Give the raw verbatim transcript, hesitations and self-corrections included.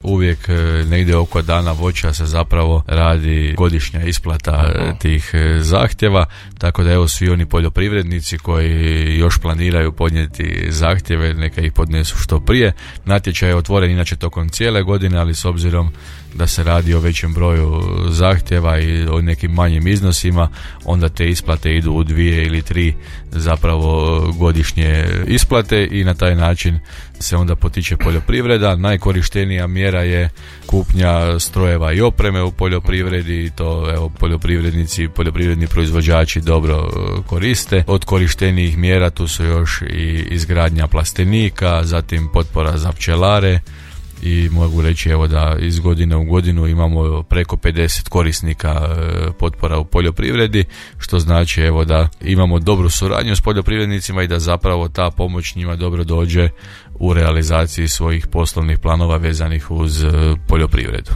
uvijek negdje oko dana voća se zapravo radi godišnja isplata Aha. tih zahtjeva, tako da evo svi oni poljoprivrednici koji još planiraju podnijeti zahtjeve, neka ih podnesu što prije. Natječaj je otvoren inače tokom cijele godine, ali s obzirom da se radi o većem broju zahtjeva i o nekim manjim iznosima, onda te isplate idu u dvije ili tri zapravo godišnje isplate i na taj način se onda potiče poljoprivreda. Najkorištenija mjera je kupnja strojeva i opreme u poljoprivredi i to evo poljoprivrednici, poljoprivredni proizvođači dobro koriste. Od korištenijih mjera tu su još i izgradnja plastenika, zatim potpora za pčelare i mogu reći evo da iz godine u godinu imamo preko pedeset korisnika potpora u poljoprivredi, što znači evo da imamo dobru suradnju s poljoprivrednicima i da zapravo ta pomoć njima dobro dođe u realizaciji svojih poslovnih planova vezanih uz poljoprivredu.